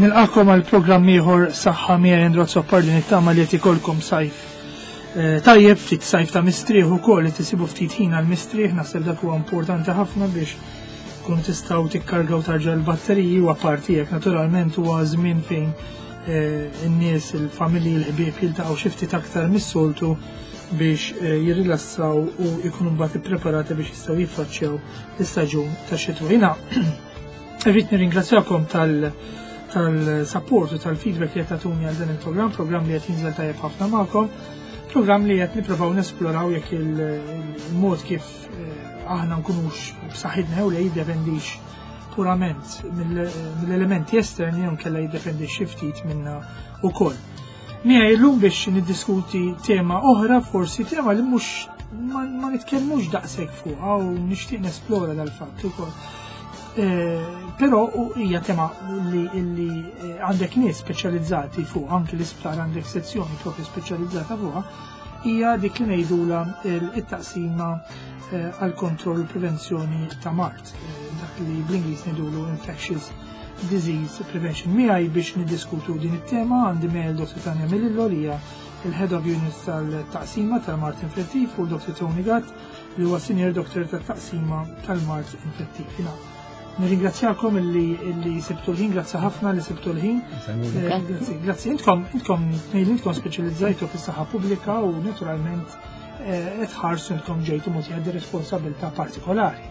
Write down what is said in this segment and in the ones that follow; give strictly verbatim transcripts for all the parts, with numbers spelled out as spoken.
Nilqagħkom għal programm ieħor Saħħa miegħi, Andrew Azzopardi. Nittama li qed ikolkom sajf eh, tajjeb, ftit sajf ta' mistrieħ ukoll, li tisibu ftit ħin għal mistrieħ. Naħseb dak huwa importanti ħafna biex tkunu tistgħu tikkargaw tarġa l-batteriji, u apparti hekk naturalment huwa żmien fejn eh, in-nies, il-familji, l-ħbieb jiltaqgħu xi ftit aktar mis-soltu biex eh, jirrilassaw u jkunu mbagħad ippreparati biex jistgħu jiffaċċjaw l-istaġun tax-xitwa. Jiena irrid nirringrazzjakom tal- tal-support u tal-feedback li qed tagħtuni għal dan il-programm, programm li qed jinżel tajjeb ħafna magħkom, programm li qed nippruvaw nesploraw jekk il-mod kif eh, aħna nkunux b'saħħitna jew le jiddependix purament mill-elementi esterni jew kella jiddependi xi ftit minna wkoll. Miegħi llum biex niddiskuti tema oħra, forsi tema li mhux ma, ma nitkellmux daqshekk fuqha u nixtieq nesplora dal-fatt ukoll. Eh, però hija tema li, li eh, għandek nies speċjalizzati fuq, anki l-isptar għandek sezzjoni propju speċjalizzata fuqha, hija dik li ngħidula it-taqsima eh, għal kontroll u prevenzjoni ta' mard, dak li bl-Ingliż ngħidulu infectious disease prevention. Miegħi biex niddiskutu din it-tema għandi miegħi Doctor Tanja Melillo, li hija il-Head of Unit tal-taqsima tal-mard infettiv, u Doctor Tony Gatt, li huwa Senior Doctor tat-taqsima tal-mard infettiv. Nirringrazzjakom illi illi sibtu l-ħin, grazzi ħafna li sibtu l-ħin. Eh, grazzi, grazzi. Intkom, intkom, intkom speċjalizzajtu fis-saħħa pubblika u naturalment eh, qed ħarsu intkom ġejtu mogħtija di responsabilità partikolari.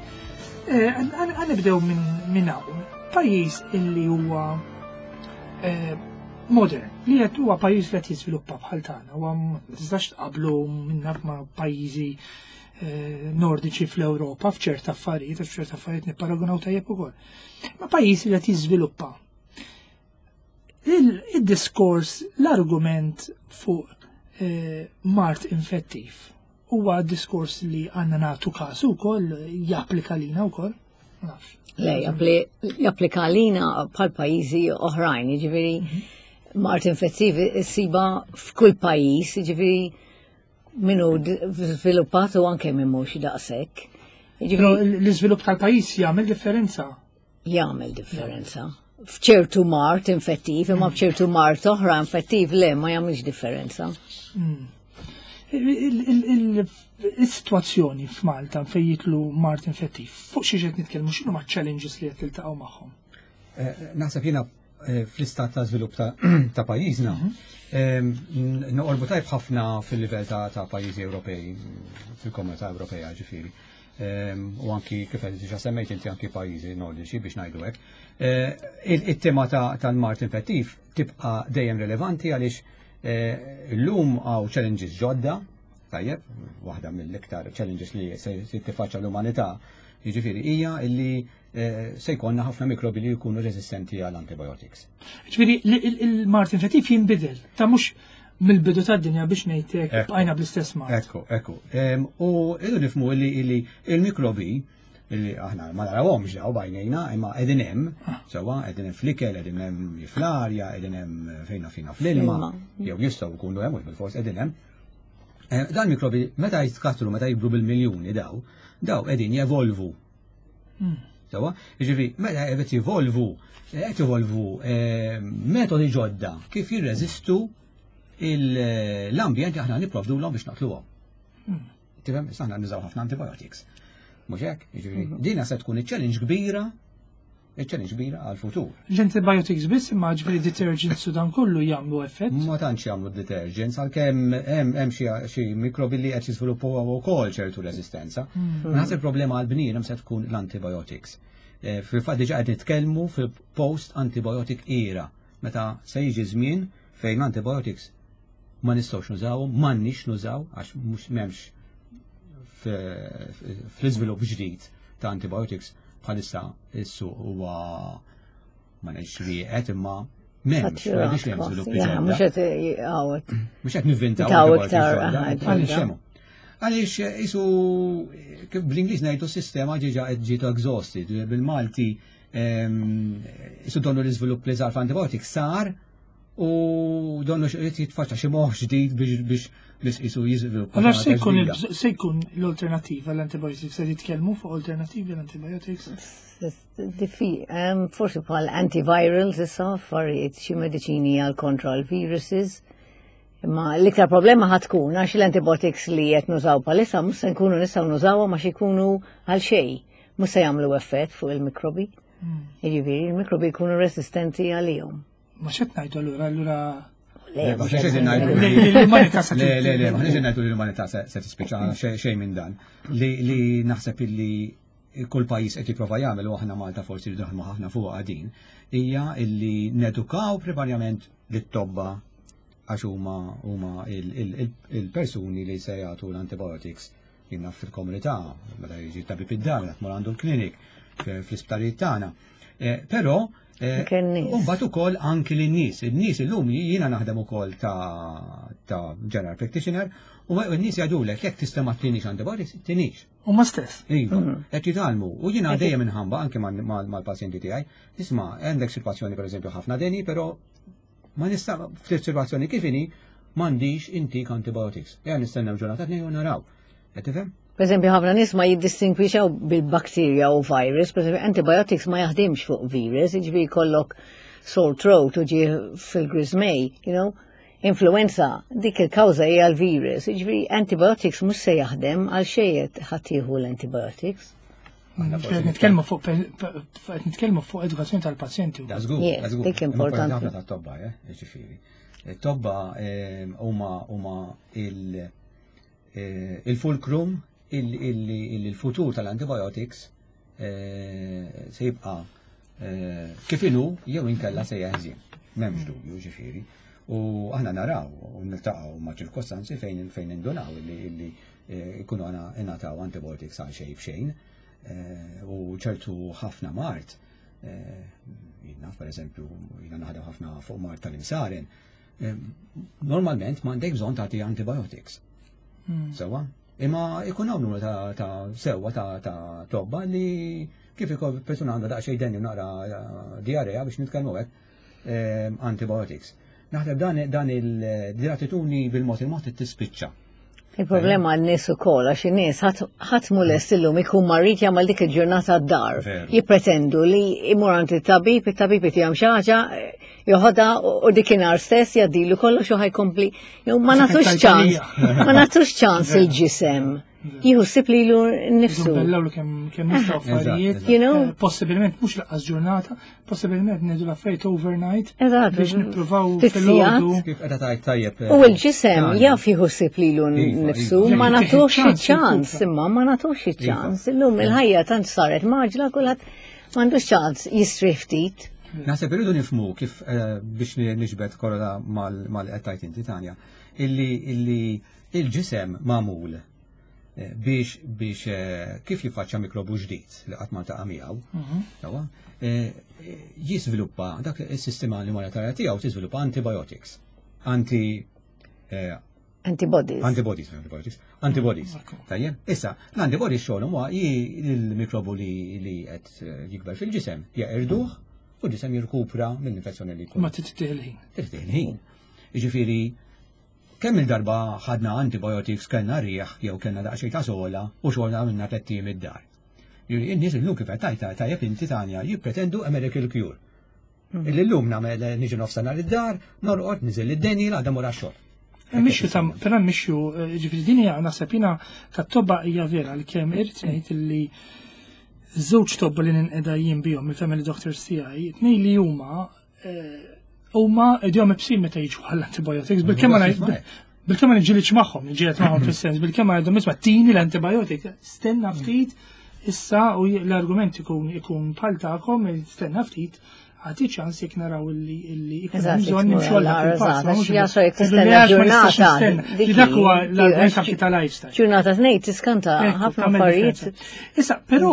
Eh, ħa nibdew minn hawn. Pajjiż illi huwa modern, li qed huwa pajjiż li qed jiżviluppa bħal tagħna, huwa ma tistax tqablu minna ma' pajjiżi eh, nordiċi fl-Ewropa f'ċerta affarijiet, għax f'ċerta affarijiet nipparagunaw tajjeb ukoll. Ma pajjiż li qed jiżviluppa. Il-diskors, l-argument fuq eh, mard infettiv huwa diskors li għandna nagħtu kasu wkoll, japplika lina wkoll? Nafx. Le, japplika lina bħal pajjiżi oħrajn, jiġifieri mard infettiv issibha f'kull pajjiż, jiġifieri min hu żviluppat u anke minn mhux daqshekk. Però l-iżvilupp tal-pajjiż jagħmel differenza. Jagħmel differenza. F'ċertu mard infettiv, imma f'ċertu mard oħra infettiv le, ma jagħmilx differenza. Mm. Il-situazzjoni f'Malta fejn jidħol mard infettiv, fuq xi qed nitkellmu, x'inhu ma' challenges li qed tiltaqgħu magħhom? Eh, naħseb jiena eh, fl-istat ta' żvilupp ta' pajjiżna, mhm. noqorbu tajb ħafna fil-livell ta' pajjiżi Ewropej, fil-Komunità Ewropea ġifieri. U anki kif qed diġà semmejt inti, anki pajjiżi nordiċi, biex ngħidu hekk. Eh, it-tema tal-mard infettiv tibqa' dejjem relevanti għaliex llum hawn challenges ġodda, tajjeb, waħda mill-iktar challenges li se tiffaċċa l-umanità, jiġifieri hija illi eh, se jkollna ħafna mikrobi li jkunu resistenti għal antibiotics. Ġifieri il-mard infettiv jinbidel, ta' mhux mill-bidu tad-dinja, biex ngħidlek, bqajna bl-istess mard. Ekku, ekku. U irridu nifhmu li il-mikrobi li aħna ma narawhomx daw b'għajnejna, imma qegħdin hemm, ah. sewwa, qegħdin hemm fl-ikel, qegħdin hemm fl-arja, qegħdin hemm fejna fina fl-ilma, jew jistgħu jkunu hemm, mhux bil-fors qegħdin hemm. Eh, dan mikrobi meta jitkatru, meta jibru bil-miljuni daw, daw qegħdin jevolvu. Hmm. Sewwa, jiġifieri meta qed jivolvu, qed jivolvu eh, metodi ġodda kif jirreżistu l-ambjent li aħna nipprovdulhom biex naqtluhom. Hmm. Tifhem, aħna nużaw ħafna antibiotics. Mhux hekk, jiġifieri mhm. dina se tkun iċ-challenge kbira, iċ-challenge kbira għal-futur. L-antibiotics biss, imma ġifieri detergents u dan kollu jagħmlu effett? Ma tantx jagħmlu detergents, għalkemm hemm hemm xi mikrobi li qed jiżviluppaw ukoll ċertu resistenza. Mhm. Naħseb il-problema għal-bniedem se tkun l-antibiotics. Eh, fil-fatt diġà qed nitkellmu fil-post antibiotic era, meta se jiġi żmien fejn l-antibiotics ma nistgħux nużawhom, m'għandniex nużaw, għax mhux m'hemmx fl-iżvilupp ġdid ta' antibiotics. Bħalissa is-suq huwa, ma ngħidx rieqed, imma m'hemmx, ma ngħidx li hemm żviluppi ġodda. Mhux qed Mhux qed nivvintaw iktar. Għaliex hemm? Għaliex isu kif bl-Ingliż ngħidu sistema ġiġa qed ġiet exhausted, bil-Malti isu donnu l-iżvilupp li sar f'antibiotics sar. U donnu x'irid jitfaċċa xi moħħ ġdid biex biex biex qisu jiżviluppa. Allora xi se ħaġa jkun ġdida. il- se jkun l-alternativa l-antibiotics, se jitkellmu fuq alternativi l-antibiotics? Diffi, um, forsi bħal antivirals issa, affarijiet xi mediċini għal kontra l-viruses. Imma l-iktar problema ħa tkun għax l-antibiotics li qed nużaw bħalissa mhux se nkunu nistgħu nużawhom għax ikunu għal xejn. Mhux se jagħmlu effett fuq il-mikrobi. Jiġifieri il-mikrobi jkunu resistenti għalihom. Ma x'qed ngħidu allura allura Le, Le, ma mhux xiex qed ngħidu li li l-umanità se Le, le, le, ma ngħidu li l-umanità se se tispiċċa xejn xejn minn dan. Li li naħseb illi kull pajjiż qed jipprova jagħmel u aħna Malta forsi rridu naħdmu ħafna fuq din, hija illi nedukaw primarjament lit-tobba għax huma huma il- il- il- il-persuni li se jagħtu l-antibiotics jiena fil-komunità, meta jiġi tabib id-dar, meta tmur għandu l-klinik, fl-isptarijiet tagħna. Eh, Però eh, Anke n-nies. u mbagħad ukoll anki lin-nies. In-nies illum jiena naħdem ukoll ta' ta' general practitioner u n-nies jgħidulek jekk tista' ma tinix antibiotics, tinix. U ma stess. Iva, qed jitgħallmu. U jiena dejjem inħamba anke mal-pazjenti tiegħi. Isma' għandek sitwazzjoni pereżempju ħafna deni, però ma nista' ftit sitwazzjoni kif inhi m'għandix intik antibiotics. Ejja nistennew ġurnata tnejn u naraw. Qed tifhem? Per eżempju, ħafna nies ma jiddistingwixxaw bil-bakterja u virus, per eżempju, antibiotics ma jaħdimx fuq virus, jiġifieri jkollok sore throat u ġie fil-griżmej, you know, influenza, dik il-kawża hija l-virus, jiġifieri antibiotics mhux se jaħdem għal xejn ħadd jieħu l-antibiotics. Aħna forsi Qed nitkellmu fuq qed nitkellmu fuq edukazzjoni tal-pazjenti. Da żgur, Yeah, da żgur. dik Imma importanti. ħafna tat-tobba, eh, ġifieri. It-tobba eh, huma huma il eh, il-fulcrum il-futur tal-antibiotics eh, se jibqa' eh, kif inhu jew inkella se jeħżien. M'hemmx dubju, ġifieri. U aħna naraw u niltaqgħu ma' ċirkostanzi fejn fejn indunaw illi illi eh, ikunu għana ingħataw antibiotics għal xejn b'xejn eh, u ċertu ħafna mard eh, jiena per eżempju jiena naħdem ħafna fuq mard tal-imsaren, eh, normalment m'għandek bżonn tagħti antibiotics. Sewa? Imma ikun hawn numru ta' ta' sewwa ta' ta' tobba li kif ikun persuna għandha daqsxejn deni u naqra eh, diarrea biex nitkellmu hekk eh, antibiotics. Naħseb dan dan il-attitudni bil-mod il-mod tispiċċa. Il-problema għan-nies ukoll għax in-nies ħadd mhu lest illum ikun marid jagħmel dik il-ġurnata d-dar. Veru. Jippretendu li imur għand it-tabib, it-tabib jagħmel xi ħaġa, joħodha u dikinhar stess jgħaddilu kollox u ħa jkompli. Jew ma nagħtux ċans, ma nagħtux ċans il-ġisem. Jieħu ħsieb lilu nnifsu. Bellaw kemm kemm nistgħu affarijiet. You know? Eh, Possibilment mhux lanqas ġurnata, possibilment ngħidu l-affarijiet overnight Eżatt. biex nippruvaw Ftit filgħodu. Kif qiegħda tajt tajjeb. U l-ġisem Tanja. jaf jieħu ħsieb lilu Iva, nnifsu, iva. ma Jekk nagħtux tieħu ċans, ċans, jirkupra. imma ma nagħtux ċans. Illum il-ħajja tant saret mgħaġġla kulħadd m'għandux ċans jistrieħ ftit. Naħseb irridu nifhmu kif eh, biex niġbed korola mal qed tajt inti Tanja, illi illi il-ġisem magħmul eh, biex biex eh, kif jiffaċċja mikrobu ġdid li qatt ma ltaqa' miegħu, sewwa, eh, jiżviluppa dak is-sistema immunitarja tiegħu tiżviluppa antibiotics. Anti eh, Antibodies. Antibodies, antibodies, antibodies. Tajjeb, issa, l-antibodies xogħolhom huwa il-mikrobu li li qed eh, jikber fil-ġisem, jeqirduh u l-ġisem jirkupra mill-infezzjoni li jkun. Ma trid il-ħin. Trid il-ħin. Jiġifieri, kemm il-darba ħadna antibiotics kellna rieħ jew kellna daqsxejn ta' sogħla u xogħolna minna tliet ijiem id-dar. Jiġifieri, in-nies illum kif qed tajta tajjeb inti Tanja jippretendu a miracle cure. Illi llum nagħmel niġi nofsinhar id-dar, norqod, niżel id-deni, l-għada mur għax-xogħol. Mixju ta' però mixju, ġifieri din hija naħseb jiena tat-tobba hija vera li kemm irid ngħid illi żewġ tobba li ninqeda jien bihom il-family doctors tiegħi, tnejn li huma eh, huma idejhom iebsin meta jiġu għall-antibiotics, bil-kemm ma ngħid- bil-kemm ma niġġilidx magħhom, niġġieled magħhom fis-sens, bil-kemm ma ngħidhom isma' tini l-antibiotic, stenna ftit issa u l-argument ikun ikun bħal tagħkom, stenna ftit għati ċans jekk naraw illi illi ikun hemm Eżatt, bżonn nimxu għal dak il-pass, ma mhux Jasra jekk Ngħidu li tistenna għax ma nistax ġurnata. nistenna. dik Li dak huwa hi, l-argument anki ta' lifestyle. Ġurnata tnejn tiskanta Ekku, ħafna tagħmel affarijiet. differenza. Issa, però,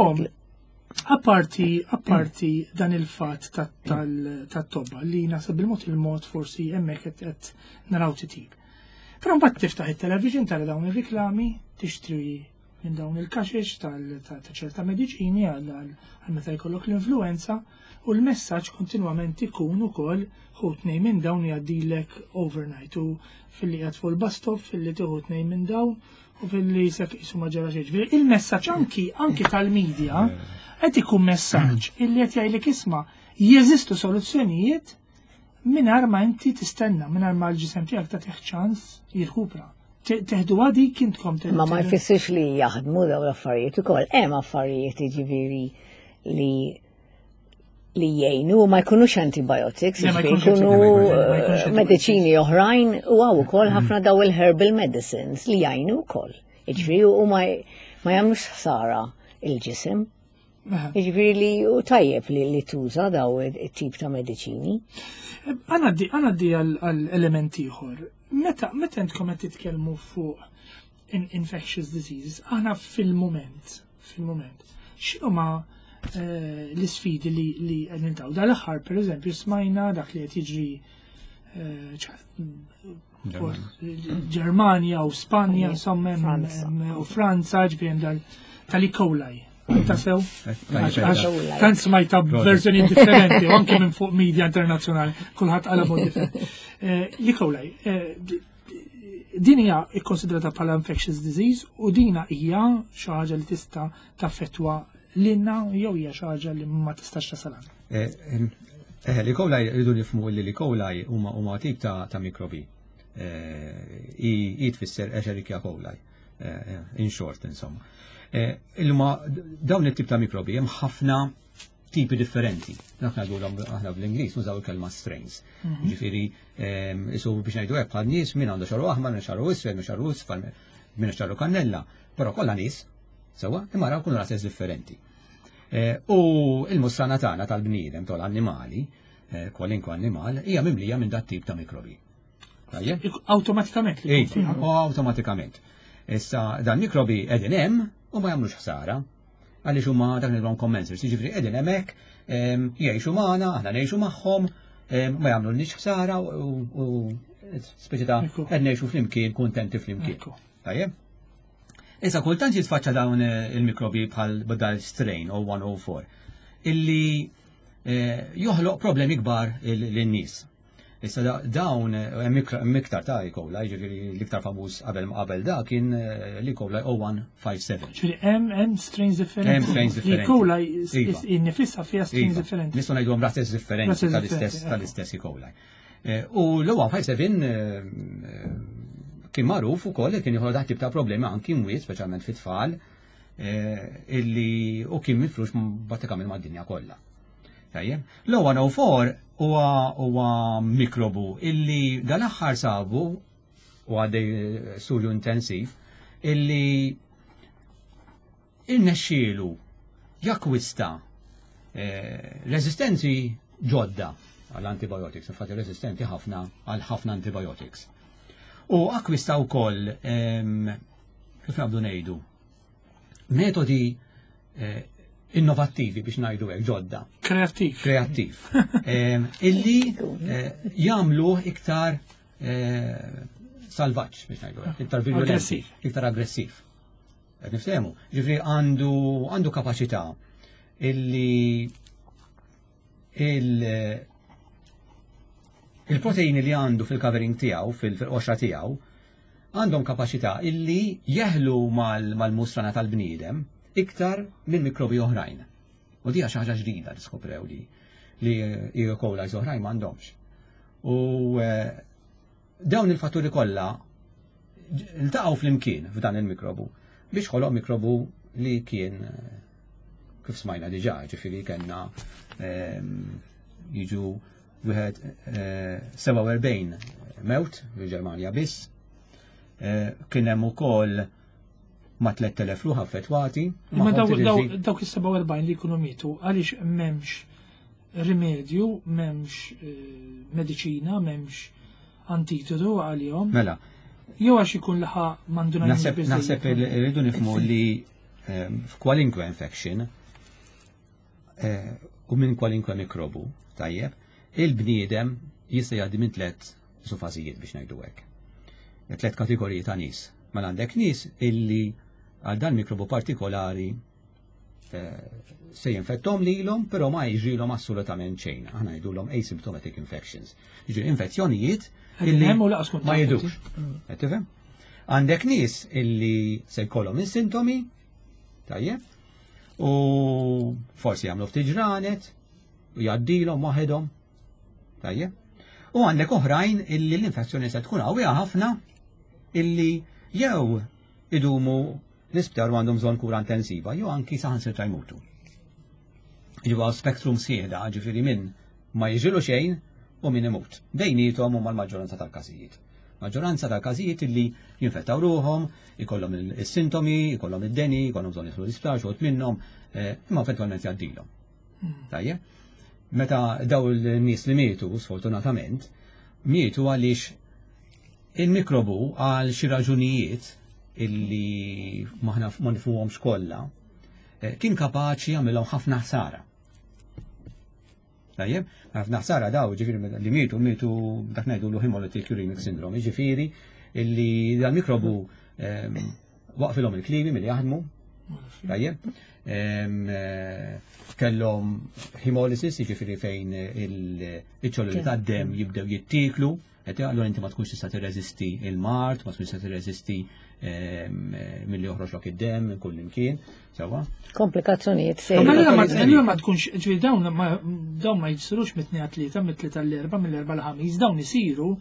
apparti, apparti dan il-fatt tat-tobba li naħseb bil-mod il-mod forsi hemmhekk qed qed naraw titjib. Però mbagħad tiftaħ it-television tara dawn ir-riklami, tixtri minn dawn il-kaxex ta' ċerta mediċini għal meta jkollok l-influenza u l-messaġġ kontinwament ikun ukoll ħu tnejn minn dawn jgħaddilek overnight u filli qiegħed fuq il-bus stop filli tieħu tnejn minn dawn u filli sek qisu ma ġara xejn. Il-messaġġ anki anki tal-medja qed ikun messaġġ illi qed jgħidlek isma' jeżistu soluzzjonijiet mingħajr ma inti tistenna, mingħajr ma l-ġisem tiegħek tagħtih ċans jirkupra. Teħdu għadi kintkom Ma ma jfissirx li jaħdmu daw l-affarijiet ukoll. Hemm affarijiet jiġifieri li li jgħinu ma jkunux antibiotics, jkunu mediċini oħrajn u hawn ukoll ħafna daw il-herbal medicines li jgħinu wkoll. Jiġifieri u ma jagħmlux ħsara il-ġisem. Jiġifieri li u tajjeb li li tuża daw it-tip ta' mediċini. Għana di għal-element ieħor. Meta meta intkom qed titkellmu fuq infectious diseases, aħna fil-moment, fil-moment, x'inhuma eh, l-isfidi li li qed niltaqgħu? Dal-aħħar pereżempju smajna dak li qed jiġri eh, Ġermanja u Spanja, insomma, u Franza, ġifieri tal-E. coli. Ta' sew? Tant smajta verżjoni differenti, u anke minn fuq media internazzjonali, kulħadd għala mod differenti. L-E. coli, din hija ikkonsidrata bħala infectious disease u dina hija xi ħaġa li tista' taffettwa lilna jew hija xi ħaġa li ma tistax tasal. Eh, l-E. coli rridu nifhmu li l-E. coli huma huma tip ta' mikrobi. I tfisser Escherichia coli. In short, insomma. Illuma dawn it-tip ta' mikrobi hemm ħafna tipi differenti. Dak ngħidulhom aħna bl-Ingliż nużaw il-kelma strains. Ġifieri isu biex ngħidu hekk bħal nies min għandu xagħru aħmar, min xagħru iswed, min xagħru isfar, min xagħru kannella, però kollha nies, sewwa, imma raw kunu razez differenti. U il-musrana tagħna tal-bniedem tal-annimali, kwalinkwe annimal, hija mimlija minn dat tip ta' mikrobi. Awtomatikament. Awtomatikament. Issa dan mikrobi qegħdin hemm u ma jagħmlux ħsara. Għaliex huma dak nilhom commensals, jiġifieri qegħdin hemmhekk, jgħixu magħna, aħna ngħixu magħhom, ma jagħmlulniex ħsara u speċi ta' qed ngħixu flimkien, kuntenti flimkien. Tajjeb? Issa kultant jitfaċċa dawn il-mikrobi bħal dal strain O one oh four illi eh, joħloq problemi kbar lin-nies. Issa dawn hemm iktar ta' E. coli, ġifieri l-iktar famuż qabel qabel da kien eh, l-E. coli O one five seven. Ġifieri hemm hemm strains differenti. Hemm strains differenti. E. coli Iva. innifisha fiha strains Iva. differenti. Nistgħu ngħidu razez differenti Razez tal-istess differenti, tal-istess E. coli. Eh, U l-O one five seven kien magħruf ukoll li kien joħloq dak tip ta' problemi anki mwiet, speċjalment fit-tfal, eh, illi u kien mifrux pratikament mad-dinja kollha. Tajjeb. L-O one oh four huwa huwa mikrobu illi dal-aħħar sabu u għaddej studju intensiv illi irnexxielu jakkwista eh, resistenzi ġodda għall-antibiotics, infatti resistenti ħafna għal ħafna antibiotics. U akkwista wkoll em, kif nabdu ngħidu metodi eh, innovattivi biex ngħidu hekk ġodda Kreattiv. Kreattiv Em, illi eh, jagħmluh iktar eh, salvaġġ biex ngħidu hekk, iktar virulenti, Aggressiv. Iktar aggressiv. Qed niftehmu. Ġifieri għandu għandu kapaċità illi il il-proteini li għandu fil-covering tiegħu, fil-qoxra tiegħu, għandhom kapaċità illi jeħlu mal- mal-musrana tal-bniedem iktar minn mikrobi oħrajn. U dija xi ħaġa ġdida li skoprew li li E. coli oħrajn m'għandhomx. U eh, dawn il-fatturi kollha iltaqgħu flimkien f'dan il-mikrobu biex ħoloq mikrobu li kien eh, kif smajna diġà, ġifieri kellna ehm, jiġu wieħed eh, sebgħa u erbgħin mewt fil-Ġermanja biss. Eh, Kien hemm ukoll ma' tlett elef ruħ affettwati. Imma Magħhom dawk tidilġi- dawk is-sebgħa u erbgħin li jkunu mietu għaliex m'hemmx rimedju, m'hemmx eh, mediċina, m'hemmx antidotu għalihom. Mela, Jew għax ikun laħa m'għandu naħseb naħseb irridu nifhmu li ehm, f'kwalinkwe infection eh, u minn kwalinkwe mikrobu, tajjeb, il-bniedem jista' jgħaddi minn tliet fażijiet biex ngħidu hekk. Tliet kategoriji ta' nies. Mela għandek nies illi għal dan mikrobu partikolari eh, se jinfettom lilhom, però ma jiġrilhom assolutament xejn. Aħna ngħidulhom asymptomatic infections. Jiġri infezzjonijiet Qegħdin illi hemm u lanqas tkun ma taf jidhrux. Qed tifhem? Għandek nies illi se jkollhom is-sintomi, tajjeb, u forsi jagħmlu ftit ġranet, u jgħaddilhom waħedhom, tajjeb. U għandek oħrajn illi l-infezzjoni se tkun qawwija ħafna illi jew idumu l-isptar u għandhom bżonn kura intensiva, jew anki saħansitra jmutu. Ġibu spektrum sieħda, ġifieri min ma jiġrilu xejn u min imut. Bejniethom huma l-maġġoranza tal-każijiet. Maġġoranza tal-każijiet illi jinfettaw ruhom, ikollhom il-sintomi, ikollhom id-deni, ikollhom bżonn jidħlu l-isptar, xi wħud minnhom, eh, imma eventwalment jgħaddilhom. Tajjeb? Meta daw il-nies li mietu, sfortunatament, mietu għaliex il-mikrobu għal xi raġunijiet illi maħna ma nifhmuhomx kollha, eh, kien kapaċi jagħmilhom ħafna ħsara. Tajjeb, ħafna ħsara daw, ġifieri li mietu, mietu dak ngħidu l hemolytic uremic syndrome, ġifieri illi dal-mikrobu ehm, waqfilhom il-kliwi milli jaħdmu, tajjeb, Ehm, eh, kellhom hemolysis, jiġifieri fejn il-ċelluli tad-dem jibdew jittiklu, qed allura inti ma tkunx tista' tirreżisti il-mard, ma tkunx tista' tirreżisti ehm, milli joħroġlok id-dem minn kull imkien, sewwa. Komplikazzjonijiet Ma serji. allura ma allura ma tkunx, ġifieri dawn ma dawn ma jsirux mit-tnejn għat-tlieta, mit-tlieta l-erba, mill-erba l-ħamis, dawn isiru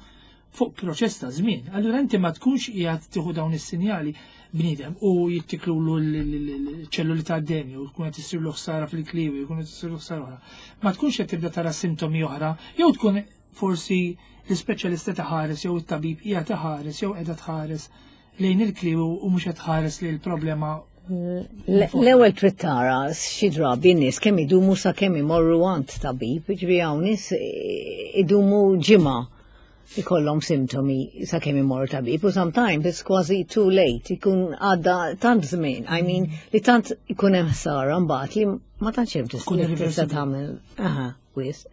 fuq proċess ta' żmien. Allura inti ma tkunx qiegħed tieħu dawn is-sinjali bniedem u jittiklulu l-ċelluli ta' dem u tkun qed issirlu ħsara fil-kliwi, jkun qed issirlu ħsara oħra. Ma tkunx qed tibda tara sintomi oħra, jew tkun forsi l-ispeċjalista taħares jew it-tabib qiegħed taħares jew qiegħda tħares lejn il-kliwi u mhux qed tħares lejn il-problema. L-ewwel trid tara xi drabi n-nies kemm idumu sa kemm imorru għand tabib, ġifieri hawn nies idumu ġimgħa ikollhom sintomi sa kemm imorru tabib u sometimes it's kważi too late, ikun għadda tant żmien, I mean li tant ikun hemm ħsara mbagħad li ma tantx hemm Tkun tista' irreversibbli. tagħmel. Aha, wisq.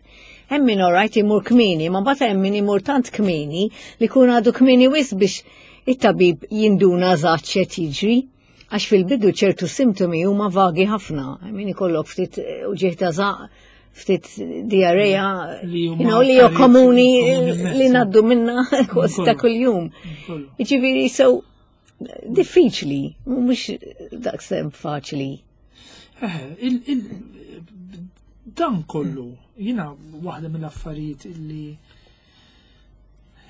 Hemm min alright imur kmieni, ma mbagħad hemm min imur tant kmieni li jkun għadu kmieni wisq biex it-tabib jinduna eżatt x'qed jiġri. Għax fil-bidu ċertu sintomi huma vagi ħafna. I mean ikollok ftit uġigħ ta' żaqq, ftit diarrea, Li huma you know, li jo affarijiet komuni komuni immens. li ngħaddu minna kważi ta' Kollu. kuljum. Kollu. Jiġifieri so diffiċli, mhux daqshekk faċli. Eh, il, il, dan kollu, jina waħda mill-affarijiet illi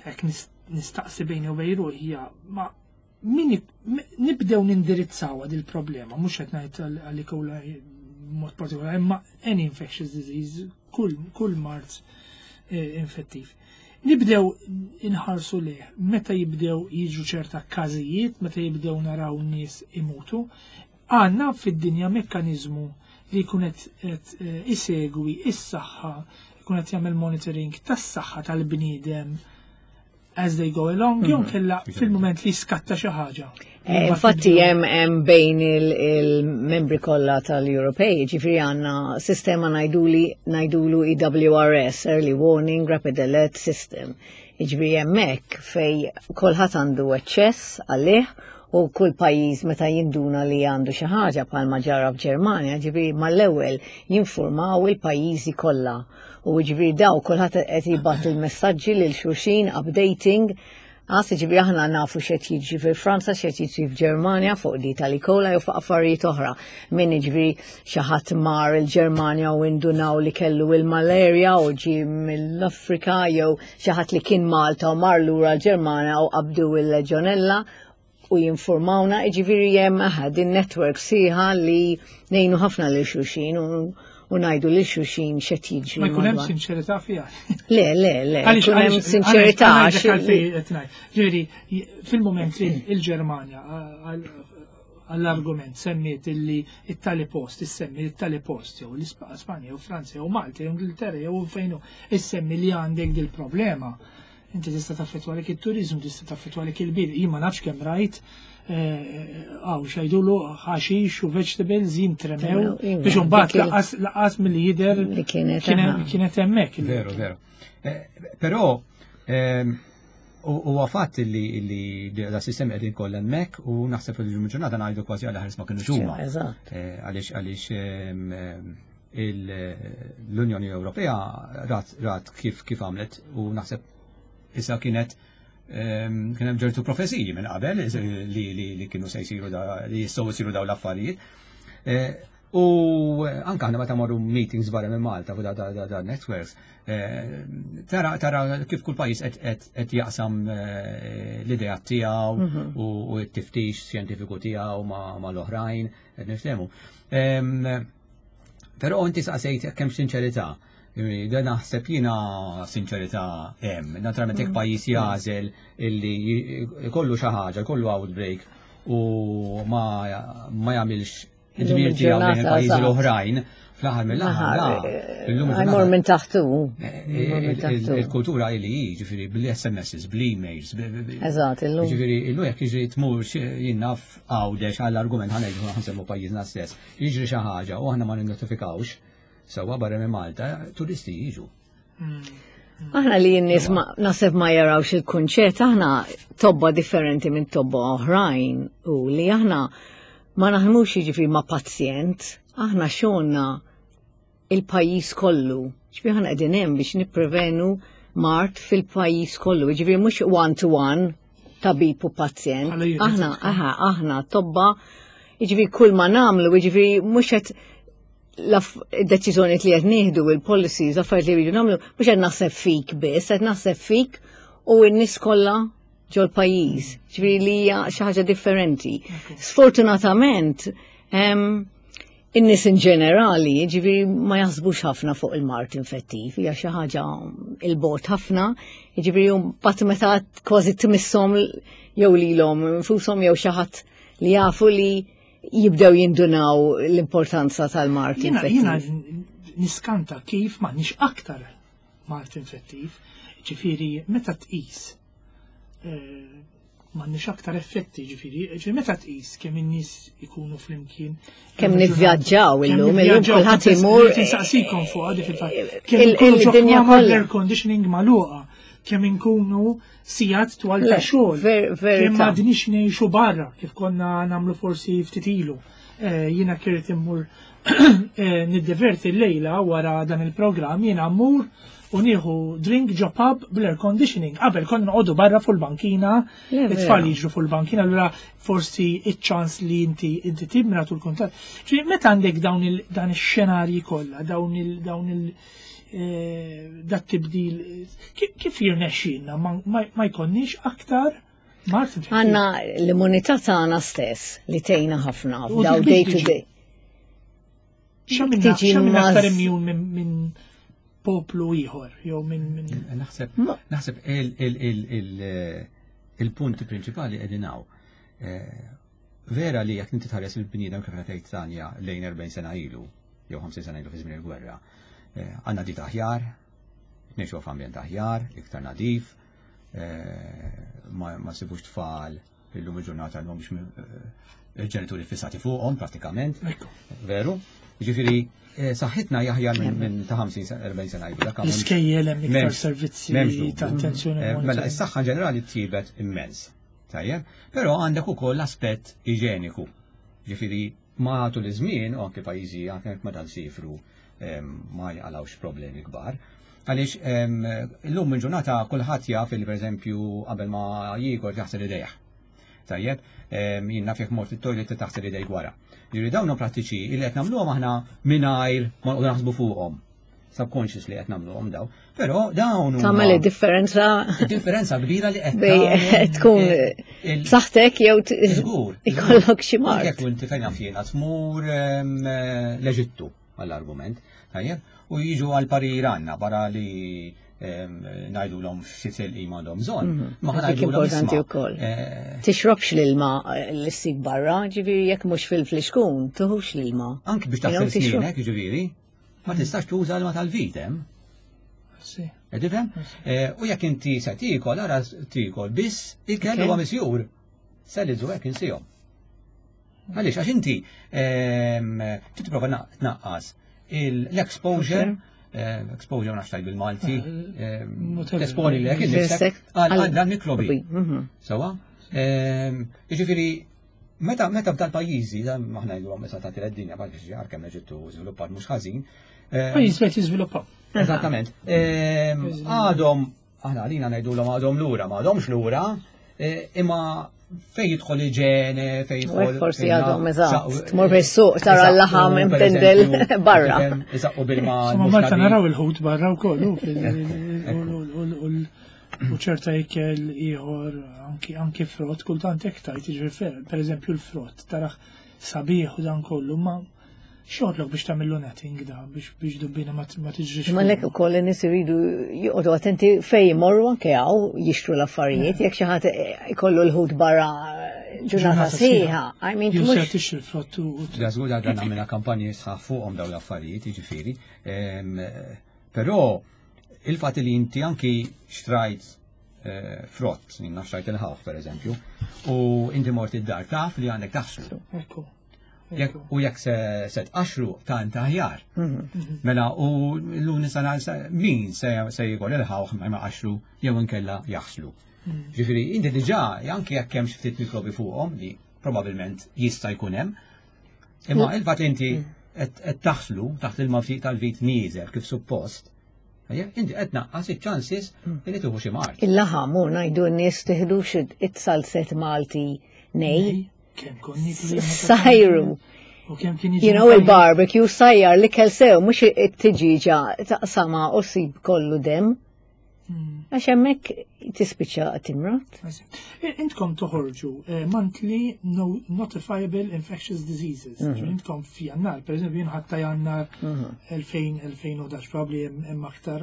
hekk nistaqsi bejni u bejn ruħi hija ma min nibdew nindirizzaw il problema mhux qed ngħid għal kolla mod partikolari, imma any infectious disease, kull, kull mard eh, infettiv. Nibdew inħarsu leh, meta jibdew jiġu ċerta każijiet, meta jibdew naraw nies imutu, għandna fid-dinja mekkanizmu li jkun qed eh, isegwi is-saħħa, jkun qed jagħmel monitoring tas-saħħa tal-bniedem as they go along, jew mhm. kella fil-moment li skatta xi ħaġa. Eh, infatti hemm hemm bejn il-membri kollha tal-Ewropej, ġifieri għandna sistema ngħiduli ngħidulu E W R S, Early Warning Rapid Alert System. Jiġifieri hemmhekk fej kulħadd għandu aċċess għalih u kull pajjiż meta jinduna li għandu xi ħaġa bħalma ġara f'Ġermanja, ġifieri mal-ewwel jinformaw il-pajjiżi kollha. U ġifieri daw kulħadd qed jibgħat il-messaġġi lil xulxin, updating. Għas ġifieri aħna nafu x'qed jiġri fil-Franza, x'qed jiġri f'Ġermanja fuq di tal-E. coli u fuq affarijiet oħra. Min ġifieri xi ħadd mar il-Ġermanja u indunaw li kellu il-malaria u ġi mill-Afrika jew xi ħadd li kien Malta u mar lura l-Ġermanja u qabdu il-Legionella u jinformawna, ġifieri hemm din network sħiħa li ngħinu ħafna lil xulxin u u ngħidu lil xulxin x'qed jiġri. Ma jkun hemm sinċerità fiha. Le, le, le, jkun hemm sinċerità. Ġifieri, fil-moment li il-Ġermanja għall-argument semmiet illi it-tali post, issemmi it-tali post, jew l-Ispanja, jew Franza, jew Malta, jew Ingilterra, jew fejnu, issemmi li għandek dil-problema. Inti tista' taffettwalek it-turizmu, tista' taffettwalek il-bid. Jien ma nafx kemm rajt għaw xajdulu ħaxix u vegetables jintremew iva, biex mbagħad lanqas milli jidher kienet hemmhekk. Veru, veru. Eh, però ehm, Huwa fatt li li da sistemi qegħdin kollha hemmhekk u naħseb fil-ġurnata ngħidu kważi għal ħares ma kienu huma. Eżatt. Eh, Għaliex għaliex ehm, ehm, il- l-Unjoni Ewropea rat rat kif kif għamlet u naħseb issa kienet ehm, kien hemm ġertu profeziji minn qabel li li li kienu se jsiru da li jistgħu jsiru dawn l-affarijiet. Eh, U anka aħna meta morru meetings barra minn Malta fuq da, da, da, da networks, eh, tara, tara kif kull pajjiż qed qed qed jaqsam eh, l-idea tiegħu u u t-tiftix xjentifiku tiegħu ma' ma' l-oħrajn, qed niftehmu. Em, Però inti saqsejt kemm sinċerità. Da naħseb jiena sinċerità hemm. Naturalment jekk pajjiż jagħżel illi jkollu xi ħaġa, jkollu outbreak u ma ma jagħmilx id-dmir tiegħu lejn il-pajjiżi eżatt. l-oħrajn, fl-aħħar mill-aħħar. la. Illum Jmur il-ġurnata- minn taħtu. Eh, Jmur minn il- taħtu. Il-kultura li hi, ġifieri bl-S M Ss, bl-emails, b- b- b- Eżatt, illum. Ġifieri, illum jekk jiġri tmur jien naf Għawdex għall-argument ħa ngħidu ħa nsemmu pajjiżna stess, jiġri xi ħaġa u aħna ma ninnotifikawx, sewwa barra minn Malta, turisti jiġu. Aħna li n-nies ma naħseb ma jarawx il-kunċett, aħna tobba differenti minn tobba oħrajn u li aħna ma naħdmux jiġifieri ma' pazjent, aħna xogħolna il-pajjiż kollu. Ġifieri aħna qegħdin hemm biex nipprevenu mard fil-pajjiż kollu, ġifieri mhux one to one tabib u pazjent. Bħala unit, Aħna, aħna, aħna tobba, jiġifieri kull ma nagħmlu, jiġifieri mhux qed l-deċiżjoni li qed nieħdu il-policies, affarijiet li rridu nagħmlu, mhux qed naħseb fik biss, qed naħseb fik u n-nies kollha ġol pajjiż. Ġifieri li hija xi ħaġa differenti. Sfortunatament, em, in-nies in ġenerali, ġifieri ma jaħsbux ħafna fuq il-mard infettiv, hija xi ħaġa il-bogħod ħafna, ġifieri mbagħad meta kważi tmisshom jew lilhom infushom jew xi ħadd li jafu li jibdew jindunaw l-importanza tal-mard Jiena jiena infettiv. niskanta kif m'għandniex aktar mard infettiv, ġifieri meta tqis eh, m'għandniex aktar effetti, ġifieri, ġifieri meta tqis kemm in-nies ikunu flimkien. Kemm nivvjaġġaw kemm illum, illum nivvjaġġaw, kulħadd kont imur. Insaqsikom fuq għadi fil-fatt. Kemm Il- inkunu ġo il-dinja kmamar kollha. air conditioning magħluqa, kemm inkunu sigħat twal ta' Le, xogħol. ver- verità. Kemm m'għadniex ngħixu barra kif konna nagħmlu forsi ftit ilu. Eh, Jiena kirt immur eh, niddeverti l-lejla wara dan il-programm, jiena mmur u nieħu drink ġo pub bl-air conditioning. Qabel konna noqogħdu barra fuq il-bankina, Le, it-tfal vera. jiġru fuq il-bankina, allura forsi iċ-ċans li inti inti timra tul kuntatt. Ġifieri meta għandek dawn il dan ix-xenarji kollha, dawn il dawn il eh, dat tibdil, kif kif jirnexxilna ma, ma, ma jkollniex aktar mard infettiv? Għanna l-immunità tagħna stess li tgħinna ħafna U f'daw dik day to tiġi. day. X'għamilna tiġi x'għamilna maż- aktar immune minn min poplu ieħor jew minn min Naħseb, naħseb il- il- il- il- il-punti prinċipali qegħdin hawn. Eh, Vera li jekk inti tħares il-bniedem kif qed tgħid Tanja lejn erbgħin sena ilu jew ħamsin sena ilu fi żmien il-gwerra, eh, għandna dieta aħjar, ngħixu f'ambjent aħjar, iktar nadif, eh, ma ma sibux tfal illum il-ġurnata għandhom biex il-ġenituri fissati fuqhom pratikament. Ekku. Veru? Ġifieri, eh, saħħitna aħjar minn minn ta' ħamsin sena, erbgħin sena ilu. Dak għamel- L-iskejjel hemm iktar M'hemmx- servizzi m'hemmx dubju. ta' attenzjoni. Eh, Mela, monitoring. is-saħħa ġenerali tjibet immens. Tajjeb? Però għandek ukoll l-aspett iġeniku. Ġifieri, ma tul iż-żmien, u anke pajjiżi anke meta nsifru em, ma jqalawx problemi kbar. Għaliex em, illum minn ġurnata kulħadd jaf li pereżempju qabel ma jiekol jaħsel idejh. Tajjeb, em, jien naf jekk mort it-toilet taħsel idejk wara. Ġifieri dawn huma prattiċi li qed nagħmluhom aħna mingħajr ma noqogħdu naħsbu fuqhom. Subconsciously qed nagħmluhom daw. Però dawn huma Tagħmel differenza differenza kbira li qed bej tagħmel tkun il- b'saħħtek jew t- Żgur. ikollok xi Anke mard. jekk inti fejn naf jiena tmur em, l-Eġittu għall-argument, tajjeb, u jiġu għal parir għandna barra li em, ngħidulhom xi tilqim għandhom bżonn. Ma ħa Dik ngħidulhom, importanti isma', wkoll. eh, Tixrobx l-ilma li ssib barra, ġifieri jekk mhux fil-flixkun, tuħux l-ilma. Anki biex You know, taħsel tixrob. snienek, ġifieri, ma tistax tuża l-ilma tal-vit hemm. Sì. Qed tifhem? Eh, U jekk inti se tiekol, ara tiekol biss ikel Ok. huwa misjur. Salads u hekk insihom. Għaliex, għax inti ehm, trid tipprova na- tnaqqas il- l-exposure Exposure ma nafx bil-Malti. Tesponi li jekk innifsek għal dan mikrobi. Sewwa? Jiġifieri meta meta f'dal pajjiżi, dan aħna ngħidu meta tagħti d-dinja bħal xi kemm Eġittu żviluppat mhux ħażin. Pajjiż qed jiżviluppaw. Eżattament. Għadhom aħna għalina ngħidulhom għadhom lura, ma għadhomx lura, imma fej jidħol iġene, fej jidħol. Forsi għadhom eżatt. Tmur fis-suq tara l-laħam imtendel barra. Iżaqqu bil-ma. Ma Malta naraw il-ħut barra wkoll u ċerta ikel ieħor anki frott kultant hekk tajt, jiġifieri pereżempju l-frott taraħ sabiħ u dan kollu, ma xogħlok biex tagħmillu netting da biex biex dubbina ma tiġrix. Ma lek ukoll in-nies iridu joqogħdu attenti fejn jmorru anke hawn jixtru l-affarijiet, jekk xi ħadd ikollu l-ħut barra ġurnata sħiħa. I mean, Jew se tixtri l-frott u Żgur dan għamilna kampanji sħaħ fuqhom dawn l-affarijiet, jiġifieri. Però il-fatt li inti anki xtrajt frott, jien naf xtrajt il-ħawħ per eżempju, u inti mort id-dar taf li għandek taħslu. Ekku. U jekk se tqaxru ta' inta aħjar. Mela u l-lum nisa min se jikol il-ħawħ ma jqaxru jew inkella jaħslu. Ġifieri inti diġà anke jekk hemm xi ftit mikrobi fuqhom li probabbilment jista' jkun hemm. Imma il-fatt li inti qed taħslu taħt il-ma tal-vit nieżel kif suppost, inti qed naqqas iċ-ċansis li tieħu xi mard. Il-laħam u ngħidu n-nies tiħdux it-salzet Malti nej. Sajru. You know, il-barbecue sajjar li kell sew, mhux it-tiġiġa taqsama u sib kollu dem. Għax hemmhekk tispiċċa timrot. Intkom toħorġu monthly notifiable infectious diseases. Intkom f'jannar, per eżempju, jien ħatta jannar elfejn u ħdax, probably hemm aktar.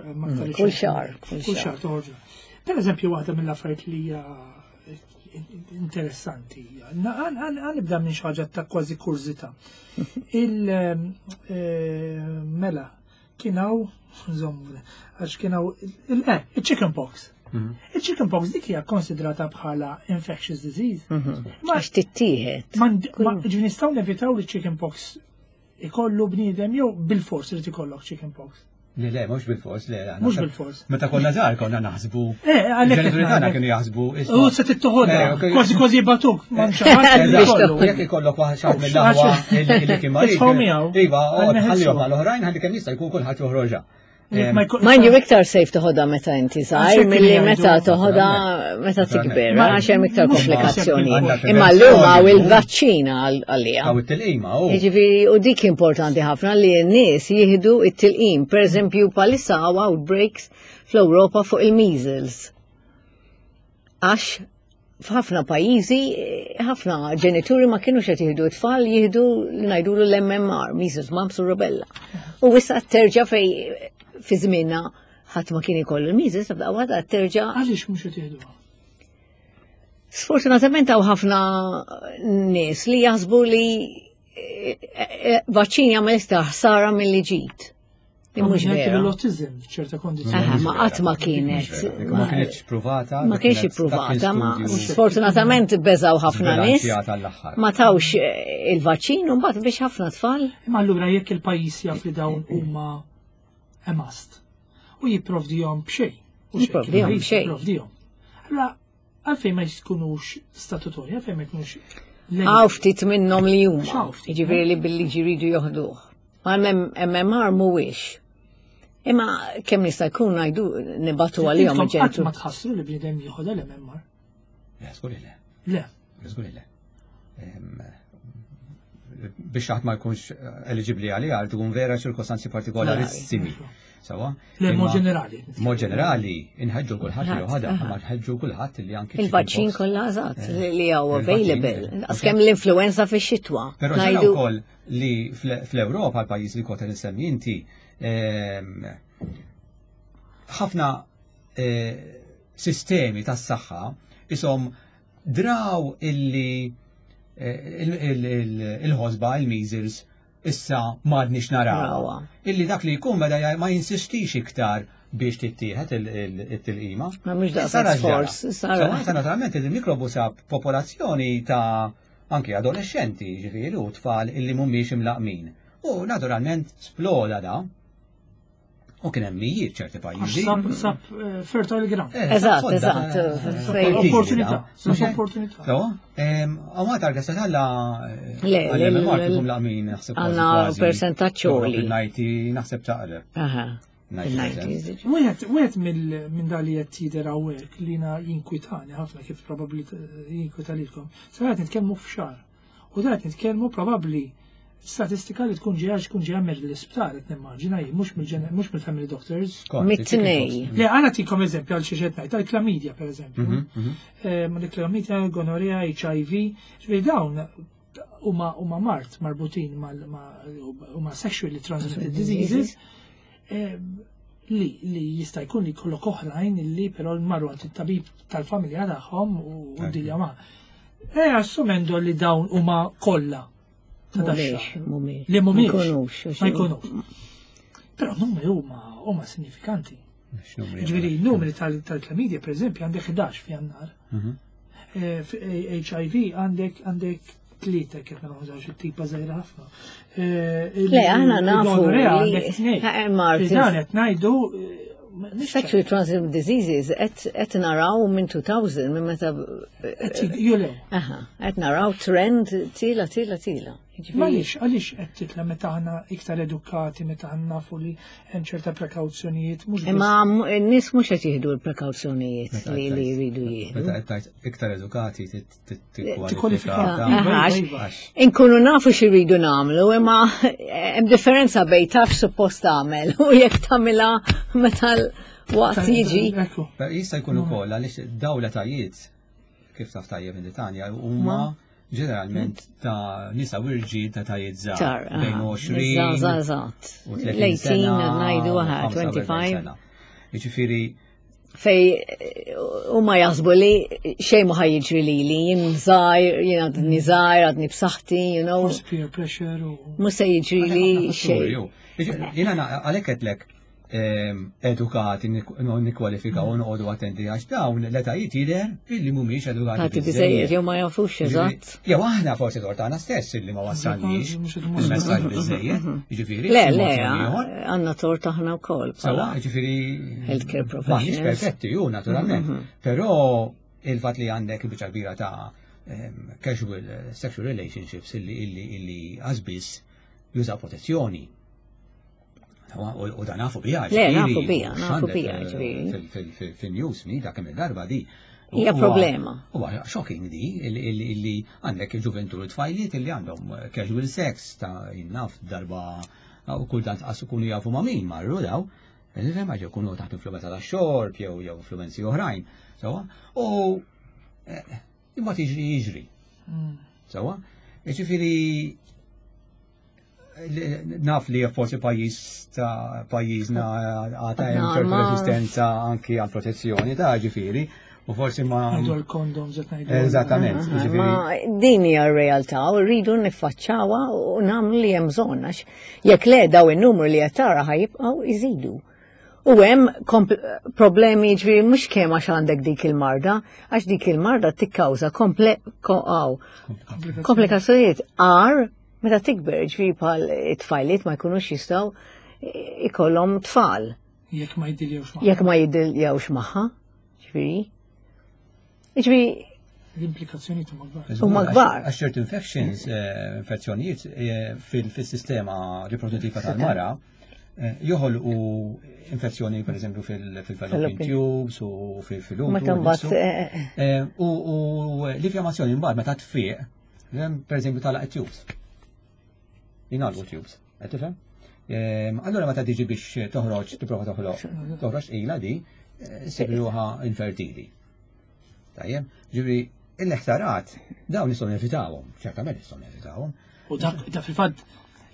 Kull xahar. Kull xahar toħorġu. Per eżempju, waħda mill-affarijiet li hija interessanti. Għanibda minn xi ħaġa ta' kważi kurżità. Il-mela kien hawn, għax kien hawn il-chicken pox. Il-chicken pox dik hija konsidrata bħala infectious disease. Għax tittieħed. Ġifieri nistgħu nevitaw li chicken pox ikollu bniedem jew bil-fors irid ikollok chicken pox. Le, le, mhux bil-fors, le. Mhux bil-fors. Meta konna żgħar konna naħsbu. Eh, għalhekk Il-ġenituri tagħna kienu jaħsbu. U se tittoħodha, kważi kważi batuk, ma Jekk ikollok waħda xi mill-aħwa li kien marid. Iva, ħallihom mal-oħrajn ħalli kemm jista' jkun kulħadd joħroġha. Mind you, iktar safe toħodha meta inti żgħir milli meta toħodha meta tikber, għax hemm iktar komplikazzjoni. Imma llum hawn il-vaċċina għalija. Hawn it-tilqima, u. Jiġifieri, u dik importanti ħafna li n-nies jieħdu it-tilqim. Per eżempju, bħalissa hawn outbreaks fl-Ewropa fuq il-measles. Għax f'ħafna pajjiżi, ħafna ġenituri ma kienux qed jieħdu t-tfal jieħdu li ngħidulu l-M M R, measles, mumps u rubella. U issa terġa' fej fi żmienna ħadd ma kien ikollu l-measles, tibda waħda terġa'. Għaliex mhux qed jieħduha? Sfortunatament hawn ħafna nies li jaħsbu li vaċċin jagħmel iktar ħsara milli ġid. Mhux vera. L-autism f'ċerta kondizzjoni. Ma qatt ma kienet. Ma kienx provata. Ma kienx provata, ma sfortunatament beżaw ħafna nies. Ma tawx il-vaċċin u mbagħad biex ħafna tfal. Imma allura jekk il-pajjiż jaf li dawn huma a must u jipprovdihom b'xejn. Jipprovdihom b'xejn. Jipprovdihom. Allura għalfejn ma jkunux statutorji, għalfejn ma jkunux Hawn ftit minnhom li huma. Jiġifieri li bil-liġi jridu joħduh. Ma M M R mhuwiex. Imma kemm nista' jkun ngħidu nibatu għalihom il-ġenitur. Ma tħassru li bniedem jieħodha l-M M R? Le, żgur le. Le. Żgur le. Biex ħadd ma jkunx eligibbli għaliha tkun vera ċirkostanzi partikolarissimi. Sewwa? Le, mod ġenerali. Mod ġenerali, inħeġġu kulħadd li joħodha, ma nħeġġu kulħadd li anki Il-vaċċin kollha eżatt li hawn available. Kemm l-influenza fix-xitwa. Però ġara wkoll li fl-Ewropa l-pajjiż li kont insemmi inti, ħafna sistemi tas-saħħa isom draw illi il-ħosba, il-measles, issa m'għadniex naraw. Illi dak li jkun meta ma jinsistix iktar biex tittieħed it-tilqima. Ma mhux daqshekk sforz. Sara naturalment il-mikrobu sab popolazzjoni ta' anke adolescenti, ġifieri, u tfal illi mhumiex imlaqmin. U naturalment sploda da. U kien hemm mijiet ċerti Għax pajjiżi. sab, sab eh, fertile ground. Eh, Eżatt, sodda, eżatt, eh, fejn- Opportunità, Mhux sab hekk? opportunità. So, għamat għarga satalla Le, le, għal-M M R le, kif laqmin naħseb kważi għandna kważi. percentaġġ għoli. Il-ninety naħseb taqreb. Aha. ninety percent. Fil-nineties. Wieħed wieħed mill minn dali qed jidher hawnhekk li jiena jinkwitani ħafna, kif probabbli jinkwita lilkom. Sa qed nitkellmu f'xahar. U da qed nitkellmu probabbli statistika li tkun ġejja tkun ġejja mill-isptar, qed nimmaġina jien, mhux mill mhux mill-family doctors. Skont, Mit-tnej. Le, għana tikom eżempju għal xi qed ngħid, għal-klamidja per eżempju. Mhm, mhm. Eh, Ma l-klamidja, gonorrea, H I V, ġifieri dawn huma huma mard marbutin mal ma- huma sexually transmitted diseases eh, li li jista' jkun li jkollok oħrajn li però marru għand it-tabib tal-familja tagħhom u u dilja ma. E assumendo li dawn huma kollha ta' Mhumiex, dax-xahar. mhumiex. Li mhumiex. Ma jkunux. Ma jkunux. Però numri huma huma sinifikanti. X'numri? Ġifieri, numri tal- tal-klamidja, per eżempju, għandek ħdax f'Jannar. Mhm. Eh, f- eh, H I V għandek għandek tlieta, kif ma nużawx it-tipa żgħira ħafna. Eh, il- Le, aħna nafu il-gonorrea li- għandek tnejn. Eh, Martin. Dan qed ngħidu eh, mhix Sexually transmitted diseases qed naraw minn elfejn, minn meta qed julew. Aha, qed naraw trend tila tila tila. Jiġifieri- Ma għaliex, għaliex qed titla meta aħna iktar edukati, meta aħna nafu li hemm ċerta prekawzjonijiet, mhux biss- Imma m- n-nies mhux qed jieħdu l-prekawzjonijiet Meta li qed li tgħid- jridu jieħdu. Meta qed tgħid iktar edukati Tikkwalifika. tikkwalifika. Iva, Aha, iva, għax iva. inkunu nafu x'iridu nagħmlu, imma hemm differenza bejn taf suppost tagħmel u jekk tagħmilha meta l-waqt jiġi. Ekku. Jista' jkun ukoll għaliex dawn l-etajiet, kif taf tajjeb in Tanja, huma ġeneralment ta' nisa u irġiel ta' tajiet żgħar. Tar, Bejn aha. għoxrin Eżatt. u tletin L-tmintax sena, ngħidu aha, ħamsa u erbgħin twenty-five. sena. Jiġifieri Fej huma jaħsbu li xejn ma ħajġri lili, jien żgħir, jien għadni żgħir, għadni b'saħħti, you know, Forsi peer pressure u. mhux se jiġri li xejn. Jiena għalhekk qedlek ehm, edukati nikkwalifika u noqogħdu attenti għax dawn l-etajiet jidher illi mhumiex edukati Tati biżejjed jew ma jafux eżatt. Jew aħna forsi tort tagħna stess illi ma wassalniex Mhux qed imwasslu. il-messaġġ biżejjed, jiġifieri. Le, xi le, mod jew ieħor. għandna tort aħna wkoll. Sawa, ġifieri. Healthcare Maħniex professionals. perfetti, ju, naturalment. Però il-fat li għandek il-biċċa kbira ta' em, casual eh, sexual relationships illi illi illi għazbis jużaw protezzjoni. Sawa, U u dan nafu bija. Le, ġifieri, nafu bija, nafu x'għandek, bija, eh, ġifieri. fil- fil- fil- Fil-news mi, dak kemm il-darba di. Hija Huwa- problema. Huwa shocking di, illi- illi illi għandek il-ġuventur, tfajliet illi għandhom eh, casual sex ta' jinnaf darba u kultant qas ikunu jafu ma' min marru daw. Nifhem għax ikunu taħt influenza ta' xorb jew jew influenzi oħrajn. Sawa? U eh, imbagħad jiġri jiġri. Mm. Sawa? Ġifieri li- naf li forsi pajjiż ta' pajjiżna għata hemm ċertu Ma- resistenza anki għal protezzjoni ta' ġifieri u forsi ma Ngħidu l-condoms qed ngħidu. Eżattament, ġifieri. Ma din hija r-realtà u rridu niffaċċawha u nagħmlu li hemm bżonn, għax jekk le daw in-numru li qed tara ħajibqgħu jżidu. U hemm kompl- problemi, ġifieri mhux kemm għax għandek dik il-marda, għax dik il-marda tikkawża komple ko- aw, komplikazzjonijiet għar meta tikber, ġifieri bħal it-tfajliet ma jkunux jistgħu ikollhom tfal Jekk ma jiddiljewx ma. Jekk ma jiddiljawx magħha, ġifieri. Ġifieri L-implikazzjoni huma kbar. Huma kbar. Għax ċertu infections, eh, infezzjonijiet eh, fil- fil-sistema riproduttiva tal-mara eh, joħolqu infezzjoni per eżempju fil-fallopian Fallopian. tubes u fil-utru. Meta mbagħad eh, Eh, U u l-infjammazzjoni mbagħad meta tfiq, per eżempju tagħlaq tubes. Jingħalqu tubes, qed tifhem? Ehm, Allura meta tiġi biex toħroġ, tipprova toħloq, toħroġ ila di, eh, ssib ruħha infertili. Tajjeb, ġifieri il-ħsarat dawn nistgħu nevitawhom, ċertament nistgħu nevitawhom. U dak da fil-fatt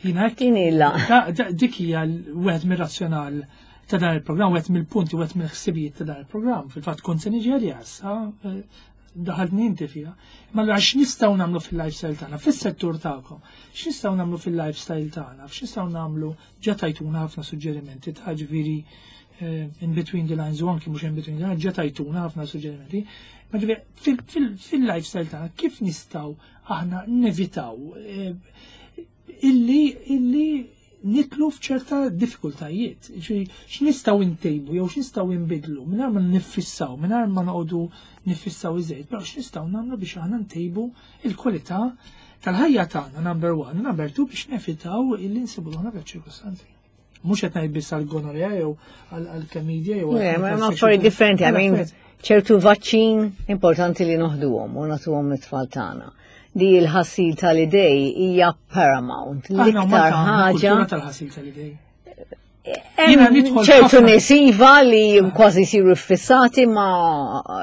jiena hekk din illa. Da- da- dik hija l- wieħed mir-razzjonal ta' dan il-programm, wieħed mill-punti, wieħed mill-ħsibijiet ta' dan il-programm. Fil-fatt kont se niġi għalija issa, eh, daħaltni inti fiha. Ma allura x'nistgħu nagħmlu fil-lifestyle tagħna, fis-settur tagħkom, x'nistgħu nagħmlu fil-lifestyle tagħna, x'nistgħu nagħmlu? Ġa tajtuna ħafna suġġerimenti ta' ġifieri eh, in between the lines u anki mhux in between the lines, ġa tajtuna ħafna suġġerimenti. Ma ġifieri fil- fil- fil-lifestyle tagħna kif nistgħu aħna nevitaw eh, illi illi Nidħlu f'ċerta diffikultajiet. Ġifieri, x'nistgħu ntejbu jew x'nistgħu nbidlu mingħajr ma niffissaw, mingħajr ma noqogħdu niffissaw iżejjed, però x'nistgħu nagħmlu biex aħna ntejbu il-kwalità tal-ħajja tagħna, number one, number two, biex nevitaw illi nsibu ruħna f'ċirkustanzi. Mhux qed ngħid biss għall-gonorrea jew għall-klamidja jew Le, ma ma affarijiet differenti, I mean, ċertu vaċċin importanti li noħduhom u nagħtuhom it-tfal tagħna. Di l-ħasil tal-idej hija paramount. L-iktar ħaġa. Kultura tal-ħasil tal-idej. Hemm Jiena nidħol ċertu ħafna- nies iva li kważi jsiru fissati, ma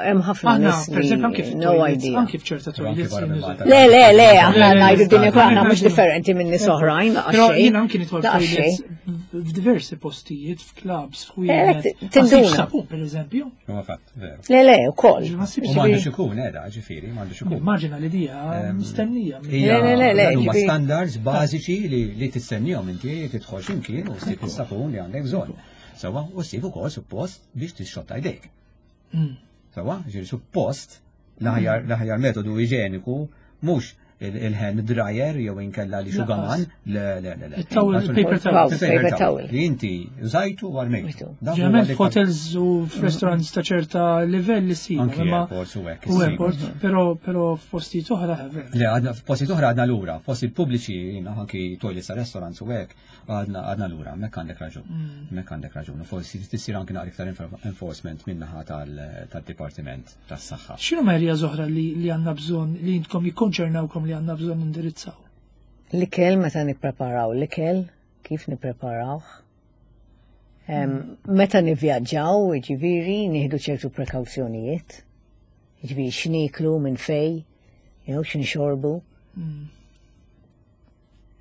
hemm ħafna Aħna, nies per eżempju, anke li no fit-toilets, idea. anke f'ċerta toilets. barra minn Malta. Le, le, le, aħna Le, le, ngħidu le, din ukoll, aħna le, mhux le. differenti minn nies oħrajn, laqas Però xejn. jiena anki nidħol Laqas toilets xejn. f'diversi postijiet, f'clubs, Eh, f'ħwienet. tinduna. Ma ssibx sapun, per eżempju. Huwa fatt, veru. Le, le, ukoll. Ma ssibx U m'għandux ikun, eda, ġifieri, m'għandux ikun. Immaġina li dija mistennija. Hija- Le, le, le, le, dan huma ġifieri- standards bażiċi li li tistennihom inti tidħol x'imkien u ssib is-sapun li għandek bżonn. Sewwa, u ssib ukoll suppost biex tixxotta jdejk. Mm. Sewwa, ġifieri suppost l-aħjar l-aħjar metodu iġeniku mhux il-hand dryer jew inkella li xugaman, le, le, le, le. Il-towel, il-paper towel. Paper towel. Li inti użajtu u armejtu. Dak huwa Ġeneralment l-iktar- f'hotels u f'restaurants ta' ċerta livell li ssib. Anki imma- airports u hekk U issib. airport, però però f'postijiet oħra vera. Le, għadna f'postijiet oħra għadna lura, f'postijiet pubbliċi, jiena, anki toilets ta' restaurants u hekk, għadna għadna lura, hemmhekk għandek raġun. Hemmhekk għandek raġun. U forsi tissir anki naqra iktar enfor- enforcement min-naħa tal- tal-Dipartiment tas-Saħħa. X'inhu areas oħra li li għandna bżonn, li intkom jikkonċernawkom, li għandna bżonn indirizzaw? L-ikel, meta nippreparaw l-ikel, kif nippreparawh. Em, Meta nivvjaġġaw, ġifieri, nieħdu ċertu prekawzjonijiet. Ġifieri, x'niklu, minn fej, jew x'nixorbu.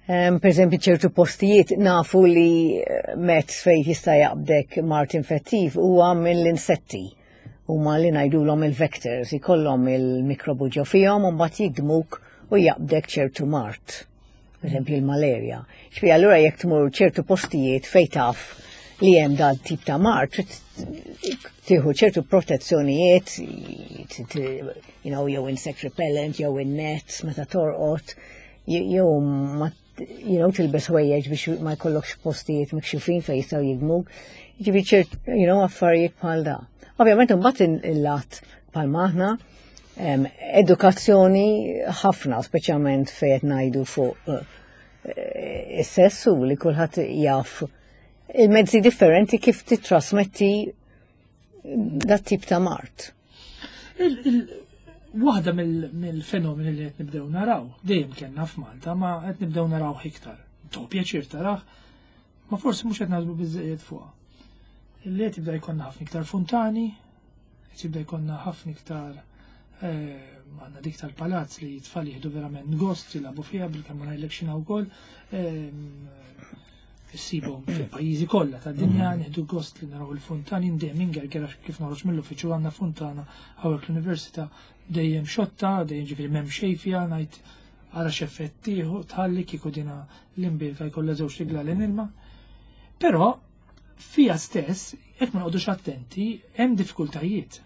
Um, per eżempju, ċertu postijiet nafu li eh, mezz fej jista' jaqbdek mard infettiv huwa mill-insetti. Huma li ngħidulhom il-vectors, ikollhom il-mikrobu ġo fihom u mbagħad jigdmuk u jaqbdek ċertu mard. Per eżempju, il-malerja. Ġifieri allura jekk tmur ċertu postijiet fej taf li hemm dal tip ta' mard, trid tieħu ċertu protezzjonijiet, t- t- you know, jew insect repellent, jew in-nets meta torqod, jew ma you know, tilbes ħwejjeġ biex ma jkollokx postijiet mikxufin fejn jistgħu jigdmuk. Ġifieri ċert, you know, affarijiet bħal da. Ovvjament imbagħad il-lat bħal maħna, em, edukazzjoni ħafna, speċjalment fejn qed ngħidu fuq eh, is-sessu, li kulħadd jaf il-mezzi differenti kif titrasmetti dat tip ta' mard. Il- il- Waħda mill- mill-fenomeni li qed nibdew naraw, dejjem kellna f'Malta, ma qed nibdew naraw iktar. To pjaċir tarah, ma forsi mhux qed naħsbu biżejjed fuqha. Li qed jibda jkollna ħafna iktar funtani, qed jibda jkollna ħafna iktar eh, għandna dik tal-palazz li t-tfal jieħdu verament gost jilagħbu fiha, bil-kemm ma ngħidlek x'inha wkoll. Ehm, Issibhom fil-pajjiżi kollha tad-dinja, nieħdu gost li naraw il-funtani, dejjem ingerger għax kif noħroġ mill-uffiċċju għandna funtana hawnhekk l-università dejjem xotta, dejjem, ġifieri, m'hemm xejn fiha, ngħid ara x'effett tieħu tħalli kieku dina l-imbierka jkollha żewġ tiglalen ilma. Però fija stess, jekk ma noqogħdux attenti, hemm diffikultajiet.